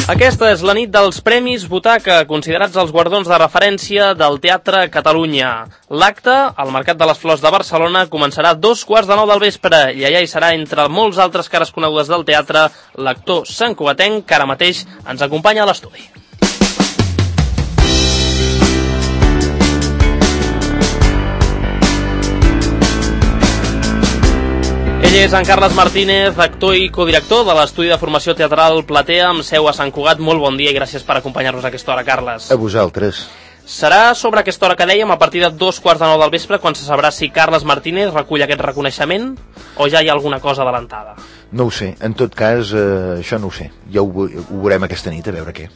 Aquesta és la nit dels Premis Butaca, considerats els guardons de referència del Teatre Catalunya. L'acte, al Mercat de les Flors de Barcelona, començarà a 2:15 del vespre i allà hi serà, entre molts altres cares conegudes del teatre, l'actor santcugatenc que ara mateix ens acompanya a l'estudi. Ell és en Carles Martínez, actor i codirector de l'Estudi de Formació Teatral Platea, amb seu a Sant Cugat. Molt bon dia i gràcies per acompanyar-nos a aquesta hora, Carles. A vosaltres. Serà sobre aquesta hora que dèiem, a partir de 2:15 del vespre, quan se sabrà si Carles Martínez recull aquest reconeixement o ja hi ha alguna cosa adelantada? No ho sé, en tot cas, això no ho sé. Ja ho veurem aquesta nit, a veure què.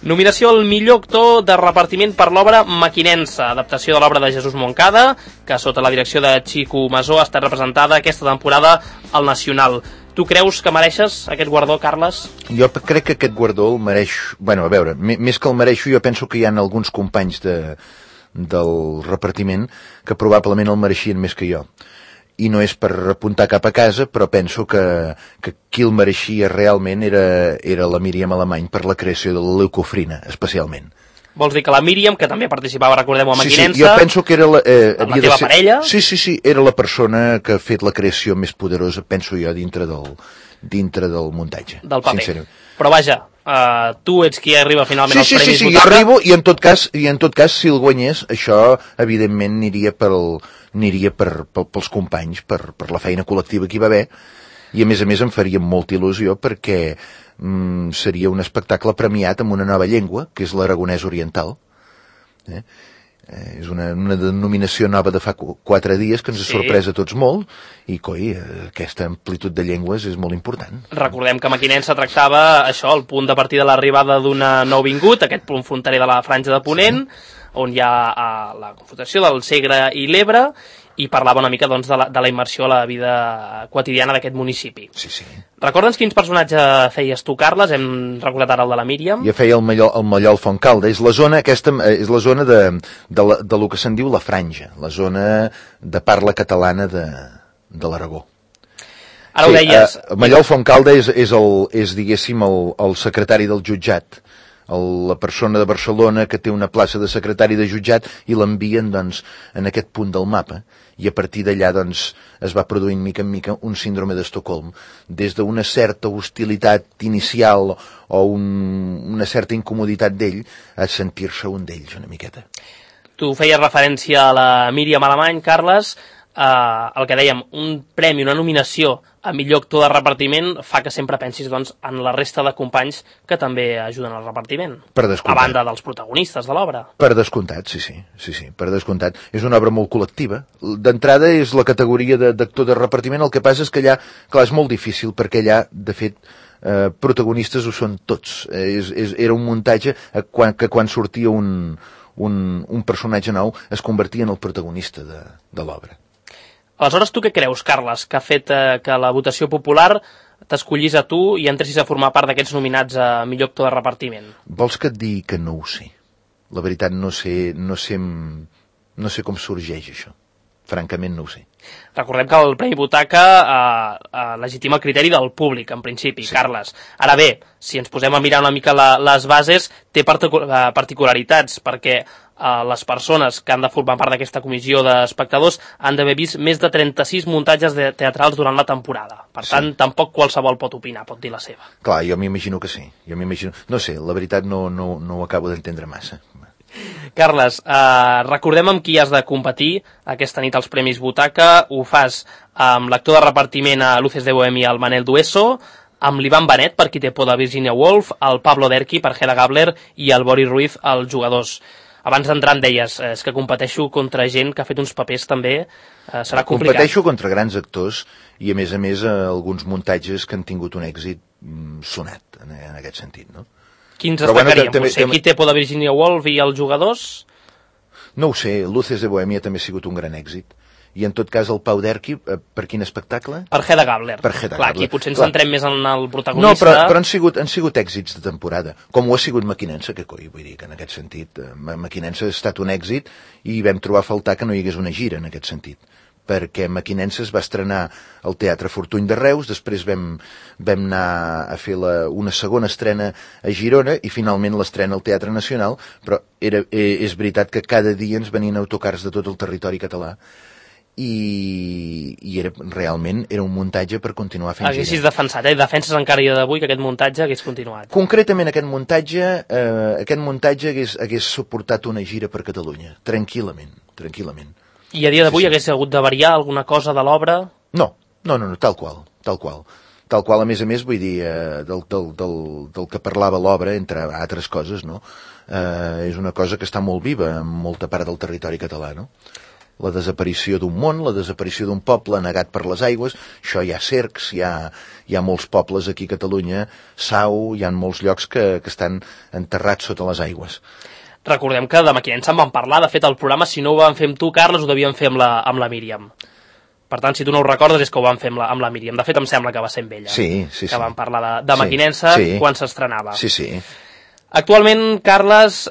Nominació al millor actor de repartiment per l'obra Mequinensa, adaptació de l'obra de Jesús Moncada, que sota la direcció de Chico Masó ha estat representada aquesta temporada al Nacional. Tu creus que mereixes aquest guardó, Carles? Jo crec que aquest guardó el mereix... Bueno, a veure, més que el mereixo, jo penso que hi ha alguns companys del repartiment que probablement el mereixien més que jo. I no és per apuntar cap a casa, però penso que qui el mereixia realment era la Míriam Alemany per la creació de la leucofrina, especialment. Vols dir que la Míriam, que també participava, recordem-ho, a Mequinensa... Sí, jo penso que era la teva parella? Sí, era la persona que ha fet la creació més poderosa, penso jo, dintre del muntatge. Del paper. Però vaja, tu ets qui arriba finalment als Premis Butaca. Sí, jo arribo i en tot cas, si el guanyés, això evidentment aniria pels companys, per la feina col·lectiva que hi va haver, i a més em faria molta il·lusió perquè seria un espectacle premiat amb una nova llengua, que és l'aragonès oriental. És una denominació nova de fa 4 dies que ens ha sorprès a tots molt, i aquesta amplitud de llengües és molt important. Recordem que Mequinensa tractava això, el punt de partida de l'arribada d'una nouvingut, aquest punt fronterer de la Franja de Ponent, on hi ha la confrontació del Segre i l'Ebre, i parlava una mica doncs, de la immersió a la vida quotidiana d'aquest municipi. Sí. Recorda'ns quins personatges feies tu, Carles? Hem recordat ara el de la Míriam. Jo feia el Mallol Fontcalda. És la zona de lo que se'n diu la Franja, la zona de parla catalana de l'Aragó. Ara ho deies. Mallol Fontcalda és diguéssim, el secretari del jutjat, la persona de Barcelona que té una plaça de secretari de jutjat i l'envien doncs, en aquest punt del mapa, i a partir d'allà doncs, es va produint mica en mica un síndrome d'Estocolm, des d'una certa hostilitat inicial o una certa incomoditat d'ell a sentir-se un d'ells una miqueta. Tu feies referència a la Míriam Alemany, Carles. El que dèiem, un premi, una nominació a millor actor de repartiment fa que sempre pensis doncs, en la resta de companys que també ajuden al repartiment. Per descomptat. A banda dels protagonistes de l'obra. Per descomptat, sí, per descomptat. És una obra molt col·lectiva. D'entrada és la categoria d'actor de repartiment, el que passa és que allà, clar, és molt difícil, perquè allà, de fet, protagonistes ho són tots. Era un muntatge que quan sortia un personatge nou es convertia en el protagonista de l'obra. Aleshores, tu què creus, Carles, que ha fet que la votació popular t'escollís a tu i entressis a formar part d'aquests nominats a millor actor de repartiment? Vols que et digui que no ho sé? La veritat, no sé com sorgeix això. Francament, no ho sé. Recordem que el Premi Butaca legitima el criteri del públic, en principi, sí. Carles. Ara bé, si ens posem a mirar una mica les bases, té particularitats, perquè les persones que han de formar part d'aquesta comissió d'espectadors han d'haver vist més de 36 muntatges teatrals durant la temporada. Per tant, tampoc qualsevol pot opinar, pot dir la seva. Clar, jo m'imagino que sí. No sé, la veritat no ho acabo d'entendre massa. Carles, recordem amb qui has de competir aquesta nit als Premis Butaca. Ho fas amb l'actor de repartiment a Luces de Bohemia, el Manel Dueso, amb l'Ivan Benet, per Qui té por de Virginia Woolf, el Pablo Derqui, per Hedda Gabler, i el Boris Ruiz, els jugadors. Abans d'entrar em deies, és que competeixo contra gent que ha fet uns papers també, serà complicat. Competeixo contra grans actors i a més alguns muntatges que han tingut un èxit sonat en aquest sentit, no? Quins destacaríem? Qui té por de Virginia Woolf i els jugadors? No ho sé, Luces de Bohemia també ha sigut un gran èxit. I en tot cas el Pau Derqui, per quin espectacle? Per Hedda Gabler. Clar, aquí potser ens centrem més en el protagonista. No, però han sigut èxits de temporada, com ho ha sigut Mequinensa, vull dir que en aquest sentit Mequinensa ha estat un èxit i vam trobar a faltar que no hi hagués una gira en aquest sentit. perquè Mequinensa es va estrenar al Teatre Fortuny de Reus, després vam anar a fer una segona estrena a Girona i finalment l'estrena al Teatre Nacional, però és veritat que cada dia ens venien autocars de tot el territori català i realment era un muntatge per continuar fent gira. Haguessis defensat, defenses encara dia d'avui que aquest muntatge hagués continuat. Concretament aquest muntatge hagués suportat una gira per Catalunya, tranquil·lament. I a dia d'avui hagués hagut de variar alguna cosa de l'obra? No, tal qual. Tal qual, a més, vull dir, del que parlava l'obra, entre altres coses, no? És una cosa que està molt viva en molta part del territori català, no? La desaparició d'un món, la desaparició d'un poble negat per les aigües, això hi ha cercs, hi ha molts pobles aquí a Catalunya, Sau, hi ha molts llocs que estan enterrats sota les aigües. Recordem que de Mequinensa en vam parlar, de fet el programa, si no ho vam fer amb tu, Carles, ho devíem fer amb la Míriam. Per tant, si tu no ho recordes, és que ho vam fer amb la Míriam. De fet, em sembla que va ser amb ella. Sí. Que vam parlar de Mequinensa quan s'estrenava. Sí. Actualment, Carles,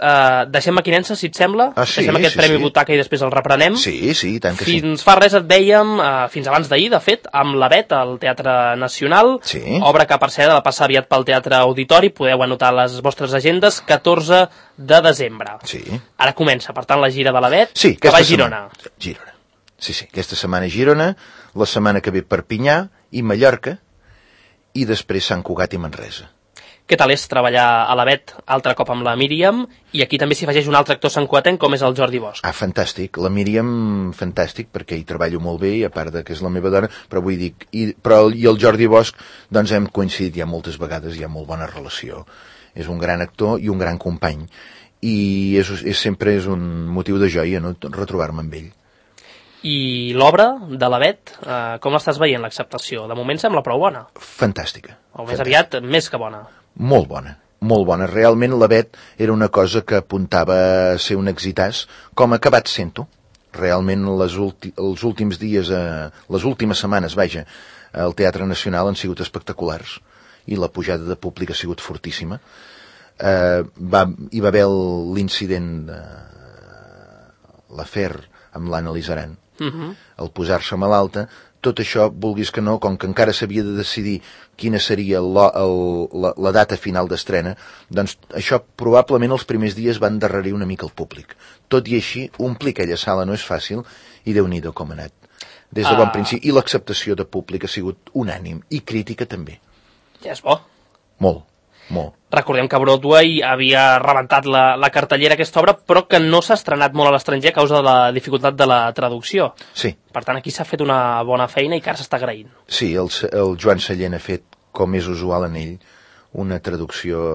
deixem Mequinensa, si et sembla? Deixem aquest Premi Butaca i després el reprenem? Sí, tant que sí. Fins fa res et dèiem, fins abans d'ahir, de fet, amb la Bet, al Teatre Nacional, obra que, per cert, ha de passar aviat pel Teatre Auditori, podeu anotar les vostres agendes, 14 de desembre. Sí. Ara comença, per tant, la gira de la Bet, que va a Girona. Girona. Sí, aquesta setmana Girona, la setmana que ve Perpinyà i Mallorca, i després Sant Cugat i Manresa. Què tal és treballar a la Bet altre cop amb la Míriam, i aquí també s'hi afegeix un altre actor santcugatenc com és el Jordi Bosch? Fantàstic, la Míriam fantàstic, perquè hi treballo molt bé, i a part que és la meva dona, però vull dir, i el Jordi Bosch, doncs hem coincidit ja moltes vegades, hi ha molt bona relació. És un gran actor i un gran company, i sempre és un motiu de joia, no?, retrobar-me amb ell. I l'obra de la Bet, com l'estàs veient, l'acceptació? De moment sembla prou bona. Fantàstica. O més aviat, més que bona. Molt bona. Realment la Bet era una cosa que apuntava a ser un exitàs, com ha acabat sent-ho. Realment els últims dies, les últimes setmanes, al Teatre Nacional han sigut espectaculars i la pujada de públic ha sigut fortíssima. Hi va haver l'incident de l'afer amb l'Anna Lizaran, el posar-se malalta. Tot això, vulguis que no, com que encara s'havia de decidir quina seria la data final d'estrena, doncs això probablement els primers dies va endarrerir una mica el públic. Tot i així, omplir aquella sala no és fàcil, i Déu-n'hi-do com ha anat. Des de bon principi. I l'acceptació de públic ha sigut unànim, i crítica també. Ja és bo. Molt. Recordem que Broadway havia rebentat la cartellera aquesta obra, però que no s'ha estrenat molt a l'estranger a causa de la dificultat de la traducció. Sí. Per tant, aquí s'ha fet una bona feina i que ara s'està agraint. Sí, el Joan Sallent ha fet, com és usual en ell, una traducció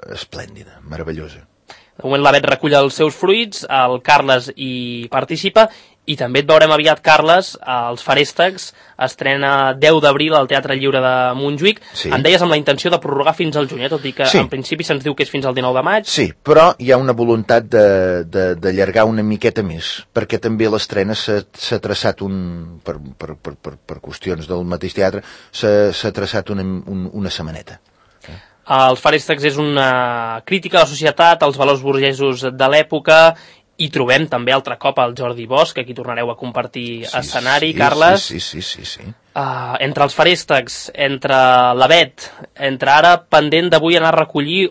esplèndida, meravellosa. De moment la Bet recull els seus fruits, el Carles hi participa, i també et veurem aviat, Carles, els Feréstecs estrena 10 d'abril al Teatre Lliure de Montjuïc. Sí. Em deies amb la intenció de prorrogar fins al juny, tot i que en principi se'ns diu que és fins al 19 de maig. Sí, però hi ha una voluntat d'allargar una miqueta més, perquè també l'estrena s'ha traçat per qüestions del mateix teatre, s'ha traçat una setmaneta. Els Feréstecs és una crítica a la societat, als valors burgesos de l'època, i trobem també altre cop el Jordi Bosch, que aquí tornareu a compartir escenari, Carles. Sí. Entre els Feréstecs, entre la Bet, entre ara pendent d'avui anar a recollir,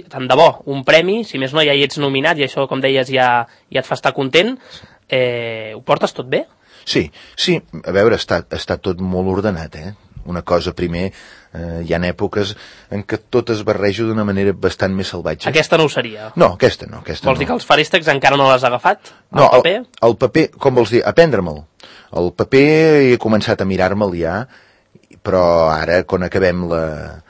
tant de bo, un premi, si més no ja hi ets nominat, i això, com deies, ja et fa estar content. Ho portes tot bé? Sí, a veure, està tot molt ordenat, Una cosa, primer, hi ha èpoques en què tot es barreja d'una manera bastant més salvatge. Aquesta no ho seria? No, aquesta no. Vols dir que els Feréstecs encara no l'has agafat? No, el paper, com vols dir? Aprendre-me'l. El paper he començat a mirar-me'l ja, però ara, quan acabem la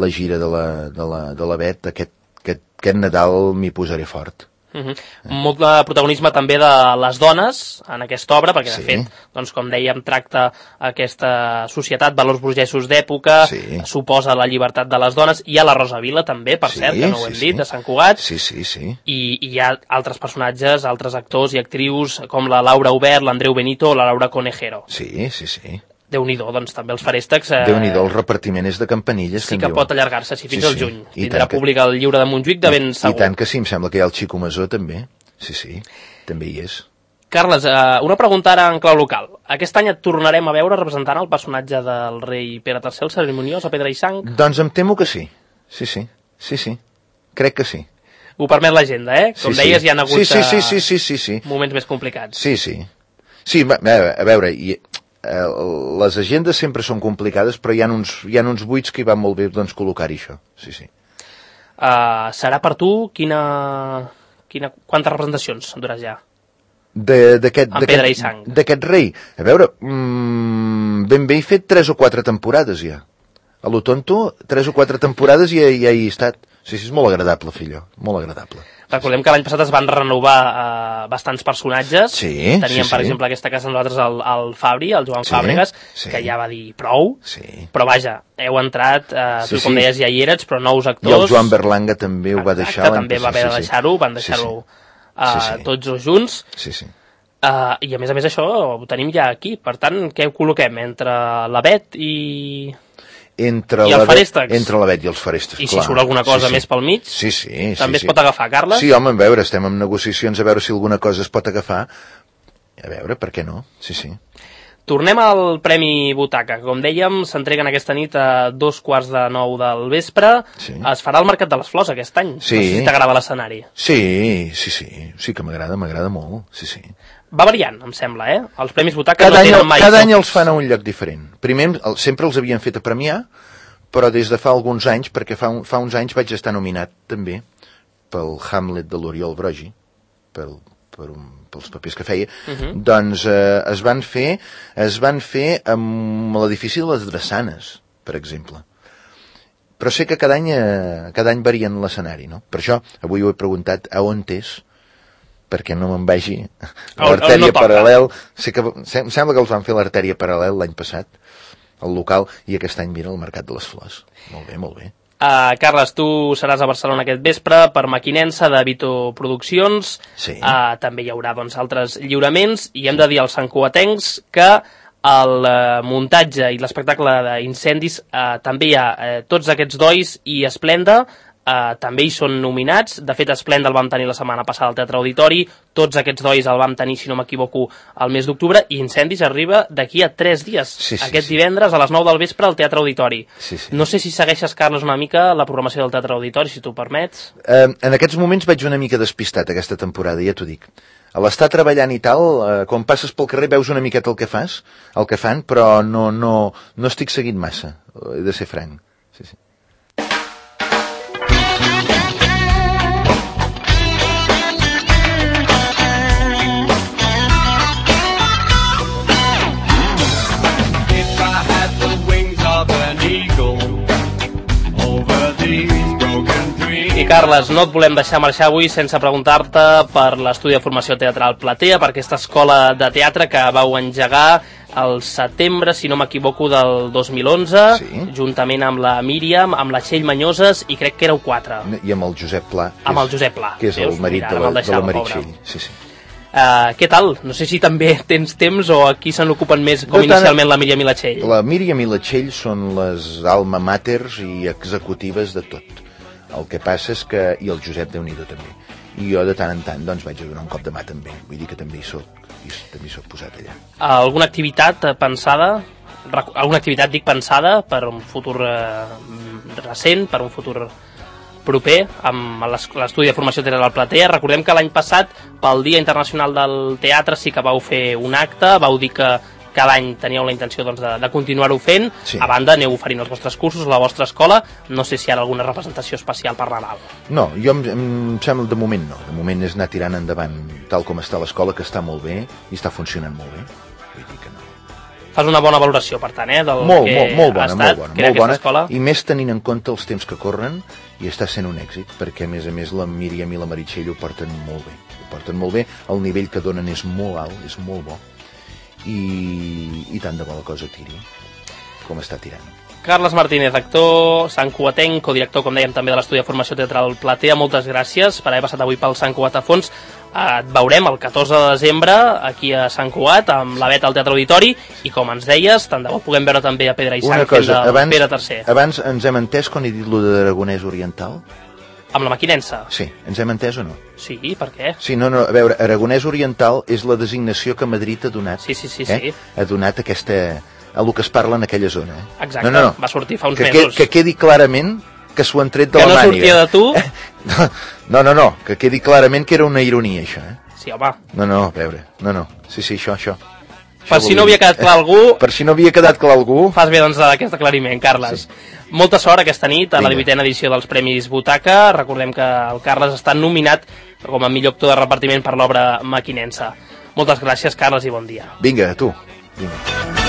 gira de la Bet, aquest Nadal m'hi posaré fort. Molt de protagonisme també de les dones en aquesta obra, perquè de fet, doncs, com dèiem, tracta aquesta societat, valors burgesos d'època, suposa la llibertat de les dones. Hi ha la Rosa Vila també, per cert, que no ho hem dit, de Sant Cugat. I hi ha altres personatges, altres actors i actrius com la Laura Aubert, l'Andreu Benito o la Laura Conejero. Sí. Déu-n'hi-do, doncs també els Feréstecs... Déu-n'hi-do, el repartiment és de campanilles. Sí que pot allargar-se fins al juny. Tindrà públic al Lliure de Montjuïc de ben segur. I tant que sí, em sembla que hi ha el Xico Masó també. Sí, també hi és. Carles, una pregunta ara en clau local. Aquest any et tornarem a veure representant el personatge del rei Pere III, el cerimoniós, a Pedra i Sang? Doncs em temo que sí. Sí. Crec que sí. Ho permet l'agenda, Com deies, hi ha hagut sí. moments més complicats. Sí. Sí, a veure, les agendes sempre són complicades, però hi ha uns buits que hi va molt bé doncs, col·locar-hi això. Sí. Serà per tu quantes representacions duràs ja? D'aquest rei. A veure, ben bé he fet 3 o 4 temporades ja. A lo tonto, 3 o 4 temporades i ja hi he estat. Sí, és molt agradable, fillo, molt agradable. Recordem que l'any passat es van renovar bastants personatges. Teníem, per exemple, aquesta casa nosaltres el Fabri, el Joan Fàbregas, que ja va dir prou. Però vaja, heu entrat, tu com deies ja hi eres, però nous actors. I el Joan Berlanga també ho va deixar. També va haver de deixar-ho, van deixar-ho tots dos junts. Sí. I a més això ho tenim ja aquí. Per tant, què ho col·loquem? Entre la Bet i... Entre el Ferèstecs. Entre la Bet i els Ferèstecs, I si surt alguna cosa més pel mig, també es pot agafar, Carles? Sí, home, a veure, estem en negociacions a veure si alguna cosa es pot agafar. A veure, per què no? Sí. Tornem al Premi Butaca. Com dèiem, s'entreguen aquesta nit a 2:15 del vespre. Es farà al Mercat de les Flors aquest any. No sé si t'agrada l'escenari. Sí que m'agrada molt. Sí. Va variant, em sembla, Els Premis Butaca no tenen mai... Cada any els fan a un lloc diferent. Primer, sempre els havien fet a premiar, però des de fa alguns anys, perquè fa uns anys vaig estar nominat també pel Hamlet de l'Oriol Brogi, pels papers que feia, doncs es van fer amb l'edifici de les Drassanes, per exemple. Però sé que cada any varien l'escenari, no? Per això avui ho he preguntat a on és, perquè no me'n vagi l'artèria paral·lel. Em sembla que els van fer l'artèria paral·lel l'any passat, al local, i aquest any mira el Mercat de les Flors. Molt bé. Carles, tu seràs a Barcelona aquest vespre per Maquinensa de Vito Produccions. També hi haurà altres lliuraments, i hem de dir als santcugatencs que el muntatge i l'espectacle d'incendis també hi ha tots aquests dois i Esplenda. També hi són nominats. De fet, Esplenda el vam tenir la setmana passada al Teatre Auditori, tots aquests dois el vam tenir, si no m'equivoco, al mes d'octubre, i Incendis arriba d'aquí a 3 dies, aquest divendres a les 9 del vespre al Teatre Auditori. No sé si segueixes, Carles, una mica la programació del Teatre Auditori, si tu permets. En aquests moments vaig una mica despistat aquesta temporada, ja t'ho dic. A l'estar treballant i tal, quan passes pel carrer veus una miqueta el que fan, però no estic seguint massa, he de ser franc. Sí. I Carles, no et volem deixar marxar avui sense preguntar-te per l'estudi de formació teatral Platea, per aquesta escola de teatre que vau engegar al setembre, si no m'equivoco, del 2011, juntament amb la Míriam, amb la Txell Manyoses, i crec que éreu 4. I amb el Josep Pla. Que és el marit de la Meritxell. Sí. Què tal? No sé si també tens temps o aquí se n'ocupen més com inicialment la Míriam i la Txell. La Míriam i la Txell són les alma maters i executives de tot. El que passa és que... I el Josep, Déu-n'hi-do, també. I jo de tant en tant doncs vaig a donar un cop de mà també. Vull dir que també hi soc posat allà. Alguna activitat pensada? Alguna activitat, dic, pensada per un futur recent, per un futur proper, amb l'estudi de formació teatral Platea? Recordem que l'any passat, pel Dia Internacional del Teatre, sí que vau fer un acte, vau dir que cada any teníeu la intenció de continuar-ho fent. A banda, aneu oferint els vostres cursos a la vostra escola. No sé si hi ha alguna representació especial per Nadal. No, jo em sembla, de moment no. De moment és anar tirant endavant tal com està l'escola, que està molt bé i està funcionant molt bé. Vull dir que no. Fas una bona valoració, per tant, del molt ha estat aquesta escola. I més tenint en compte els temps que corren, i està sent un èxit, perquè a més la Míriam i la Meritxell ho porten molt bé. El nivell que donen és molt alt, és molt bo. I tant de bo la cosa tiri com està tirant. Carles Martínez, actor santcugatenc, codirector, com dèiem, també de l'estudi de formació teatral Platea, moltes gràcies per haver passat avui pel Sant Cugat a fons. Et veurem el 14 de desembre aquí a Sant Cugat amb la Bet al Teatre Auditori, i com ens deies, tant de bo puguem veure també a Pedra i Sang fent del Pere III. Abans ens hem entès quan he dit lo de d'Aragonès Oriental? Amb la Maquinensa? Sí, ens hem entès o no? Sí, per què? Sí, no, a veure, Aragonès Oriental és la designació que Madrid ha donat. Sí. Ha donat aquesta... a lo que es parla en aquella zona. Exacte, va sortir fa uns mesos. Que quedi clarament que s'ho han tret de la màniga. Que no sortia de tu? No, que quedi clarament que era una ironia, això, Sí, home. No, a veure, no. Sí, això. Per si no havia quedat clar algú... Per si no havia quedat clar algú... Fas bé, doncs, d'aquest aclariment, Carles. Sí. Molta sort aquesta nit a la 18a edició dels Premis Butaca. Recordem que el Carles està nominat com a millor actor de repartiment per l'obra Maquinensa. Moltes gràcies, Carles, i bon dia. Vinga, tu. Vinga.